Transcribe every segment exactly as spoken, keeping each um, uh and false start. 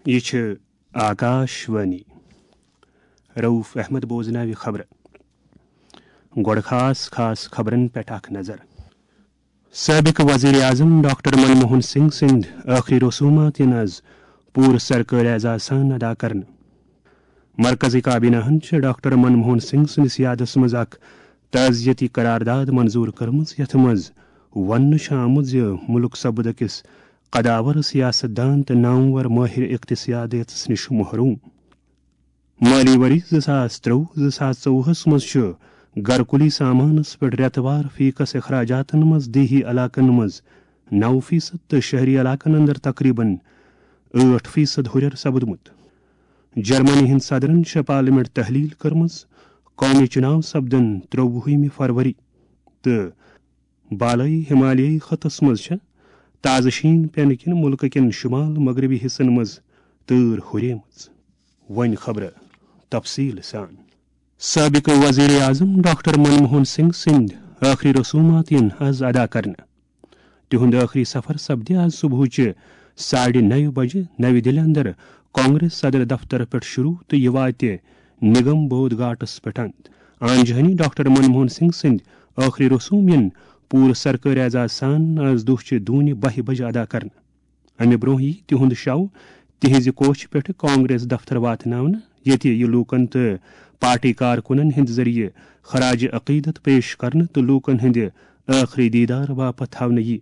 یہِ چھِ آکاش وانی۔ رؤف احمد بوزناوِ خبرٕ۔ گۄڈٕ خاص خاص خبرن پٮ۪ٹھ اکھ نظر۔ سٲبِق وزیر اعظم ڈاکٹر منموہن سنگھ سٕنٛدۍ ٲخری رسومات یِن از پوٗرٕ سرکٲرۍ اعزاز سان ادا کرنہٕ۔ مرکزی کابینہ ہن چھِ ڈاکٹر منموہن سنگھ سٕنٛدِس یادس منٛز اکھ تعزیتی قرارداد منظور کٔرمٕژ، یتھ منٛز وننہٕ چھُ آمُت زِ مُلک سپُد أکِس قداور سیاست دان تہٕ نامور مٲہر اقتصادیاتس نِش محروم۔ مٲلی ؤری زٕ ساس ترٛۆوُہ زٕ ساس ژوٚوُہس منٛز چھُ گرکُلی سامانس پٮ۪ٹھ رٮ۪تہٕ وار فیکس اخراجاتن منٛز دیہی علاقن منٛز نو فیصد تہٕ شہری علاقن اندر تقریباً ٲٹھ فیصد ہُرٮ۪ر سپُدمُت۔ جرمنی ہٕنٛدۍ صدرن چھےٚ پارلیمنٹ تحلیل کٔرمٕژ۔ قومی چُناو سپدن ترٛۆوُہمہِ فروری تہٕ بالٲیی ہمالیٲیی خطس منٛز چھےٚ تازٕ شیٖن پینہٕ کِنۍ مُلکہٕ کٮ۪ن شُمال مغربی حصن منٛز تۭر ہُریمٕژ۔ وۄنۍ خبرٕ تفصیٖل سان۔ سٲبِق وزیر اعظم ڈاکٹر منموہن سنگھ سٕنٛدۍ ٲخری رسومات یِن از ادا کرنہٕ۔ تِہُنٛد ٲخری سفر سپدِ از صبحٕچہِ ساڑِ نَیہِ بجہِ نَوِ دِلہِ اندر کانگریس صدر دفتر پٮ۪ٹھ شروع تہٕ یہِ واتہِ نگم بودھ گھاٹس پٮ۪ٹھ اند۔ آنجہانی ڈاکٹر منموہن سنگھ سٕنٛدۍ ٲخری رسوم یِن پوٗرٕ سرکٲرۍ اعزاز سان از دۄہ چہِ دوٗنہِ بَہہِ بجہِ ادا کرنہٕ۔ امہِ برونٛہہ یی تِہُنٛد شو تِہنٛزِ کوٹھۍ پٮ۪ٹھ کانگریس دفتر واتناونہٕ، ییٚتہِ یہِ لوٗکن تہٕ پارٹی کارکُنن ہٕنٛدِ ذٔریعہٕ خراج عقیدت پیش کرنہٕ تہٕ لوٗکن ہٕنٛدِ ٲخری دیدار باپتھ تھاونہٕ یی۔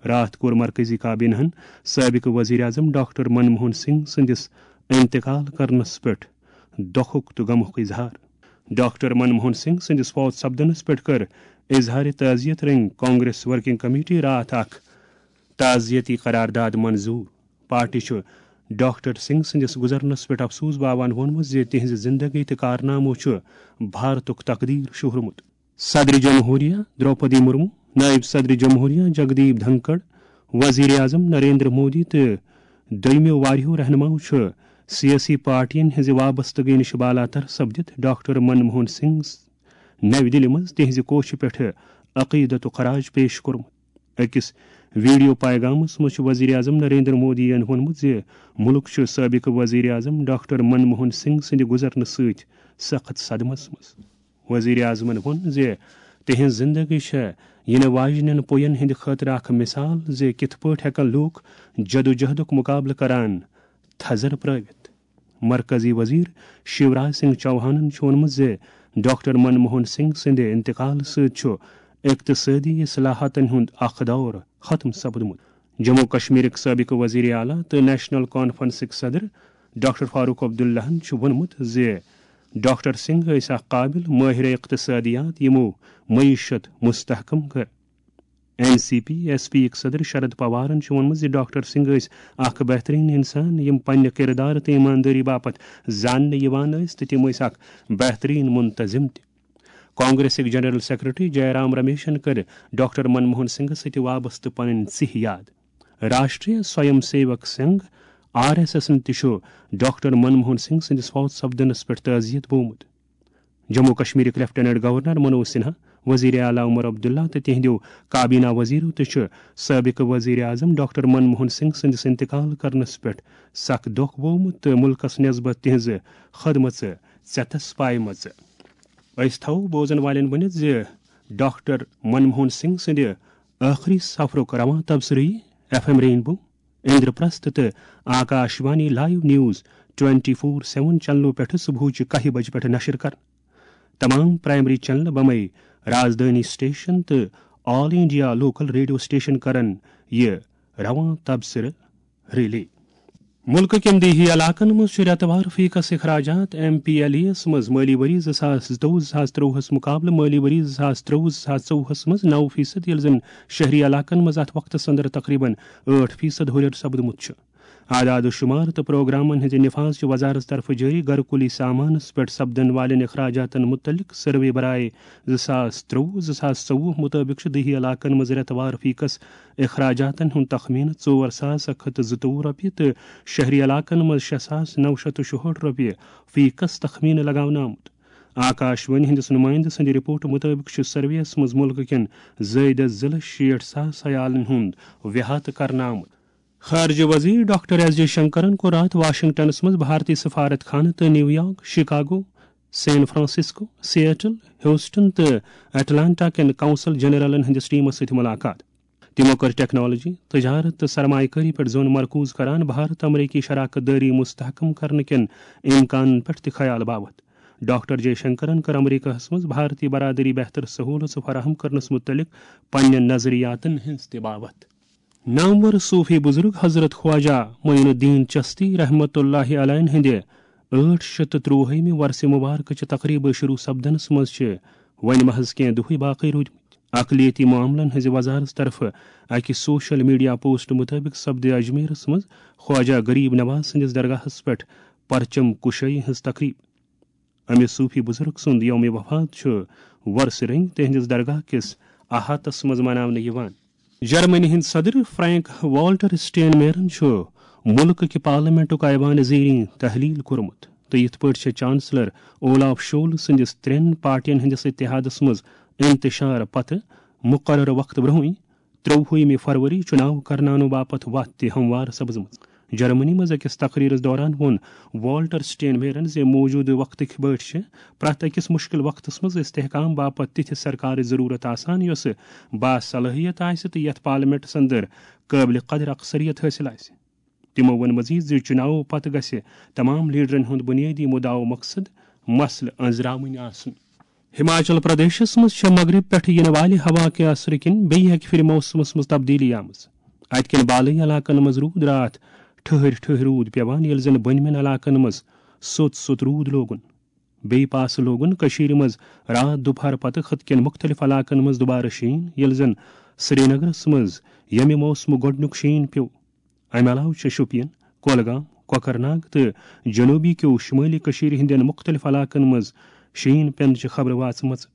راتھ کوٚر مرکزی کابینہن سٲبِق وزیر اعظم ڈاکٹر منموہن سنگھ سٕنٛدِس انتقال کرنس پٮ۪ٹھ دۄکھُک تہٕ غمُک اظہار۔ ڈاکٹر منموہن سنگھ سٕنٛدِس فوت سپدنس پٮ۪ٹھ کٔر اظہار تعزیت رنگۍ کانگریس ورکنگ کمیٹی راتھ اکھ تعزیتی قرارداد منظور۔ پارٹی چھُ ڈاکٹر سنگھ سٕنٛدِس گُزرنس پٮ۪ٹھ افسوس باوان ووٚنمُت زِ تِہنٛزِ زندگی تہٕ کارنامو چھُ بھارتُک تقدیر شوہرمُت۔ صدر جمہوریہ درٛوپدی مرمو، نائب صدر جمہوریہ جگدیپ دھنکڑ، وزیر اعظم نریندر مودی تہٕ دوٚیمٮ۪و واریاہو رہنماہو چھُ سیٲسی پارٹین ہٕنٛزِ وابستگی نِش بالاتر سپدِتھ ڈاکٹر منموہن سنگھ نَوِ دِلہِ منٛز تِہنٛزِ کوٹھۍ پٮ۪ٹھ عقیدتُک خراج پیش کوٚرمُت۔ أکِس ویڈیو پیغامس منٛز چھُ وزیر اعظم نریندر مودی ین ووٚنمُت زِ مُلک چھُ سٲبِق وزیر اعظم ڈاکٹر منموہن سنگھ سٕنٛدِ گُزرنہٕ سۭتۍ سخت صدمس منٛز۔ وزیر اعظمن ووٚن زِ تِہنٛز زندگی چھےٚ یِنہٕ واجنٮ۪ن پُین ہٕنٛدِ خٲطرٕ اکھ مثال زِ کِتھ پٲٹھۍ ہٮ۪کن لوٗکھ جدوجہدُک مقابلہٕ کران تھزر پرٲوِتھ۔ مرکزی وزیر شیوراج سنگھ چوہانن چھُ ووٚنمُت زِ ڈاکٹر منموہن سنگھ سٕنٛدِ انتقال سۭتۍ چھُ اقتصٲدی اصلاحاتن ہُنٛد اکھ دور ختم سپدمُت۔ جموں کشمیرٕکۍ سٲبِق وزیر اعلیٰ تہٕ نیشنل کانفرنسٕکۍ صدر ڈاکٹر فاروق عبداللہن چھُ ووٚنمُت زِ ڈاکٹر سنگھ ٲسۍ اکھ قابل مٲہر اقتصادیات یِمو معیشت مستحکم کٔر۔ N C P S P یِکۍ صدر شرد پوارن چھُ ووٚنمُت زِ ڈاکٹر سنگھ ٲسۍ اکھ بہترین انسان، یِم پننہِ کردار تہٕ ایماندٲری باپتھ زاننہٕ یِوان ٲسۍ تہٕ تِم ٲسۍ اکھ بہترین منتظم تہِ۔ کانگریسٕکۍ جنرل سیکرٹری جے رام رمیشن کٔر ڈاکٹر منموہن سنگھس سۭتۍ وابستہٕ پنٕنۍ ژِہۍ یاد۔ Rashtriya Swayamsevak Sangh, R S ایسن تہِ چھُ ڈاکٹر منموہن سنگھ سٕنٛدِس فوت سپدنس پٮ۪ٹھ تعزیت بوومُت۔ جموں کشمیرٕکۍ لیفٹیننٹ گورنر منوج سنہا، وزیر اعلیٰ عمر عبداللہ تہٕ تِہنٛدیو کابینہ وزیرو تہِ چھُ سٲبِق وزیر اعظم ڈاکٹر منموہن سنگھ سٕنٛدِس انتقال کرنس پٮ۪ٹھ سخ دۄکھ بوومُت تہٕ مُلکس نسبت تِہنٛزٕ خدمژٕ ژٮ۪تس پایمژٕ۔ أسۍ تھاوو بوزن والٮ۪ن ؤنِتھ زِ ڈاکٹر منموہن سنگھ سٕنٛدِ ٲخری سفرُک رواں تبصرٕ یی ایف ایم رینبو، اندرپرست تہٕ Akashvani live news twenty four seven چینلو پٮ۪ٹھٕ صبحٕچہِ کاہہِ بجہِ پٮ۪ٹھٕ نشر کرنہٕ۔ تمام پرائمری چینلہٕ بمے رازدٲنی سٹیشن تہٕ آل انڈیا لوکل ریڈیو سٹیشن کرن یہِ رواں تبصرٕ ریلی۔ مُلکہٕ کٮ۪ن دیہی علاقن منٛز چھُ رٮ۪تہٕ وار فیکس اخراجات ایم پی ایل ای یس منٛز مٲلی ؤری زٕ ساس زٕتووُہ زٕ ساس ترٛۆوُہس مُقابلہٕ مٲلی ؤری زٕ ساس ترٛۆوُہ زٕ ساس ژوٚوُہس منٛز نَو فیصد، ییٚلہِ زن شہری علاقن منٛز اتھ وقتس اندر تقریباً ٲٹھ فیصد ہُرٮ۪ر سپدمُت چھُ۔ اعداد و شمار تہٕ پروگرامن ہٕنٛزِ نفاذ چہِ وزارت طرفہٕ جٲری گرکُلی سامانس پٮ۪ٹھ سپدن والٮ۪ن اخراجاتن مُتعلق سروے برائے زٕ ساس ترٛۆوُہ زٕ ساس ژوٚوُہ مُطٲبِق چھُ دیہی علاقن منٛز رٮ۪تہٕ وار فیکس اخراجاتن ہُنٛد تخمینہٕ ژور ساس اکھ ہتھ تہٕ زٕتووُہ رۄپیہِ تہٕ شہری علاقن منٛز شےٚ ساس نو شتھ تہٕ شُہٲٹھ رۄپیہِ فیکس تخمینہٕ لگاونہٕ آمُت۔ آکاش وانی ہٕنٛدِس نُمٲیندٕ سٕنٛدِ رپورٹ مُطٲبِق چھُ سروے یَس منٛز مُلکہٕ کٮ۪ن زٲیدٕ زٕ لچھ شیٹھ ساس عیالن ہُنٛد وِحاطہٕ کرنہٕ آمُت۔ خارجہ وزیر ڈاکٹر ایس جے شنکرن کوٚر راتھ واشنگٹنس منٛز بھارتی سفارت خانہٕ تہٕ New York, Chicago, San Francisco, Seattle, Houston تہٕ اٹلانٹا کٮ۪ن قونصل جنرلن ہٕنٛدِس ٹیمس سۭتۍ ملاقات۔ تِمو کٔر ٹیکنالوجی، تجارت تہٕ سرمایہ کٲری پٮ۪ٹھ زوٚن مرکوز کران بھارت امریکی شراکت دٲری مستحکم کرنہٕ کٮ۪ن امکانن پٮ۪ٹھ تہِ خیال باوتھ۔ ڈاکٹر جے شنکرن کٔر امریکہس منٛز بھارتی برادری بہتر سہولژٕ فراہم کرنس متعلق پننٮ۪ن نظریاتن ہٕنٛز تہِ باوتھ۔ نامور صوفی بزرگ حضرت خواجہ معین الدین چشتی رحمت اللہ علیہ ہٕنٛدِ ٲٹھ شیٚتھ تہٕ ترٛۆہمہِ ورسہِ مبارکہٕ چہِ تقریبہٕ شروع سپدنس منٛز چھِ وۄنۍ محض کینٛہہ دۄہٕے باقٕے روٗدمٕتۍ۔ اقلیتی معاملن ہٕنٛزِ وزارت طرفہٕ اکہِ سوشل میڈیا پوسٹ مطٲبق سپدِ اجمیرس منٛز خواجہ غریب نواز سٕنٛدِس درگاہس پٮ۪ٹھ پرچم کشٲیی ہٕنٛز تقریب۔ امہِ صوفی بزرگ سُنٛد یوم وفات چھُ ورسہِ رنگۍ تِہنٛدِس درگاہ کِس احاطس منٛز مناونہٕ یِوان۔ جرمنی ہٕنٛدۍ صدر فرینک والٹر سٹین میرن چھُ مُلکہٕ کہِ پارلیمنٹُک ایوان زیریں تحلیل کوٚرمُت تہٕ یِتھ پٲٹھۍ چھِ چانسلر اولاف شول سٕنٛدِس ترٛٮ۪ن پارٹین ہٕنٛدِس اتحادس منٛز انتشار پتہٕ مقررٕ وقتہٕ برونٛہٕے ترٛۆوُہمہِ فروری چُناو کرناونہٕ باپتھ وتھ تہِ ہموار سپزمٕژ۔ جرمنی منٛز أکِس تقریرس دوران ووٚن والٹر سٹین میرن زِ موجودٕ وقتٕکۍ پٲٹھۍ چھِ پرٛٮ۪تھ أکِس مُشکِل وقتس منٛز استحکام باپتھ تِتھِ سرکارٕچ ضروٗرت آسان، یۄسہٕ باصلٲحیت آسہِ تہٕ یتھ پارلیمنٹس اندر قٲبلِ قدر اکثریت حٲصِل آسہِ۔ تِمو ووٚن مزید زِ چُناو پتہٕ گژھِ تمام لیڈرن ہُنٛد بُنیٲدی مُدعا و مقصد مسلہٕ أنٛزراوٕنۍ آسُن۔ ہماچل پردیشس منٛز چھےٚ مغرب پٮ۪ٹھٕ یِنہٕ والہِ ہوا کہِ اثرٕ کِنۍ بیٚیہِ اکہِ پھِرِ موسمس منٛز تبدیٖلی آمٕژ۔ اتہِ کٮ۪ن بالٲیی علاقن منٛز روٗد راتھ ٹھٔہرۍ ٹھٔہرۍ روٗد پٮ۪وان، ییٚلہِ زن بٔنمٮ۪ن علاقن منٛز سوٚت سوٚت روٗد لوگُن۔ بیٚیہِ پاسہٕ لوگُن کٔشیٖرِ منٛز راتھ دُپہر پتہٕ خٕطہٕ کٮ۪ن مُختٔلِف علاقن منٛز دُبارٕ شیٖن، ییٚلہِ زن سرینگرس منٛز ییٚمہِ موسمُک گۄڈٕنیُک شیٖن پیوٚو۔ امہِ علاوٕ چھِ شوپین، کۄلگام، کۄکرناگ تہٕ جنوبی کیو شمٲلی کٔشیٖرِ ہٕنٛدٮ۪ن مُختٔلِف علاقن منٛز شیٖن پٮ۪نٕچہِ خبرٕ واژمژٕ۔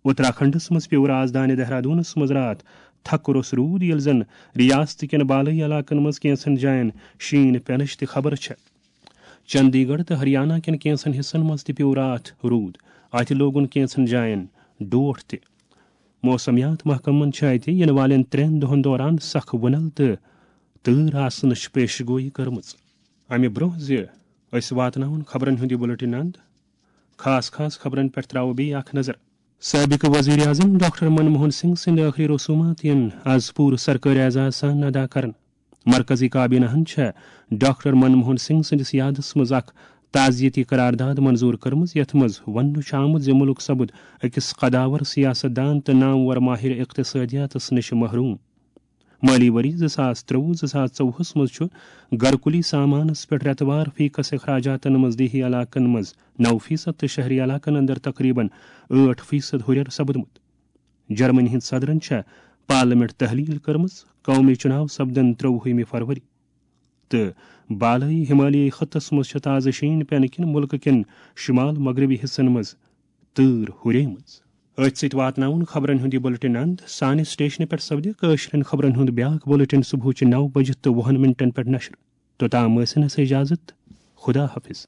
اتراکھنڈس منٛز پیوٚو رازدانہِ دہرادونس منٛز راتھ تھکہٕ روٚس روٗد، ییٚلہِ زن ریاست کٮ۪ن بالٲیی علاقن منٛز کینٛژن جاین شیٖن پٮ۪نٕچ تہِ خبر چھےٚ۔ چندی گڑھ تہٕ ہریانہ کٮ۪ن کینٛژن حصن منٛز تہِ پیوٚو راتھ روٗد۔ اتہِ لوگُن کینٛژن جاین ڈوٹھ تہِ۔ موسمیات محکمن چھِ اتہِ یِنہٕ والٮ۪ن ترٛٮ۪ن دۄہن دوران سخ وُنل تہٕ تۭر آسنٕچ پیش گویی کٔرمٕژ۔ امہِ برونٛہہ زِ أسۍ واتناوون خبرن ہُنٛد یہِ بُلٹن اند، خاص خاص خبرن پٮ۪ٹھ تراوو بیٚیہِ اکھ نظر۔ سٲبِق وزیر اعظم ڈاکٹر منموہن سنگھ سٕنٛدِ ٲخری رسومات یِن از پوٗرٕ سرکٲرۍ اعزاز سان ادا کرنہٕ۔ مرکزی کابینہ ہن چھےٚ ڈاکٹر منموہن سنگھ سٕنٛدِس یادس منٛز اکھ تعزیتی قرارداد منظور کٔرمٕژ، یتھ منٛز وننہٕ چھُ آمُت زِ مُلک سپُد أکِس قداور سیاست دان تہٕ نامور ماہر اقتصادیاتس نِش محروم۔ مٲلی ؤری زٕ ساس ترٛۆوُہ زٕ ساس ژوٚوُہس منٛز چھُ گرکُلی سامانس پٮ۪ٹھ رٮ۪تہٕ وار فی کس اخراجاتن منٛز دیہی علاقن منٛز نو فیصد تہٕ شہری علاقن اندر تقریباً ٲٹھ فیصد ہُرٮ۪ر سپُدمُت۔ جرمنی ہٕنٛدۍ صدرن چھےٚ پارلیمنٹ تحلیل کٔرمٕژ، قومی چُناو سپدن ترٛۆوُہمہِ فروری۔ تہٕ بالٲیی ہمالیٲیی خطس منٛز چھِ تازٕ شیٖن پٮ۪نہٕ کِنۍ مُلکہٕ کٮ۪ن شمال مغربی حصن منٛز تۭر ہُریمٕژ۔ أتھۍ سۭتۍ واتناوُن خبرن ہُنٛد یہِ بُلٹن اند۔ سانہِ سٹیشنہٕ پٮ۪ٹھ سپدِ کٲشرٮ۪ن خبرن ہُنٛد بیٛاکھ بُلٹن صبحٕچہِ نو بجہِ تہٕ وُہن منٹن پٮ۪ٹھ نشر۔ توٚتام ٲسِن اَسہِ اجازت۔ خدا حافظ۔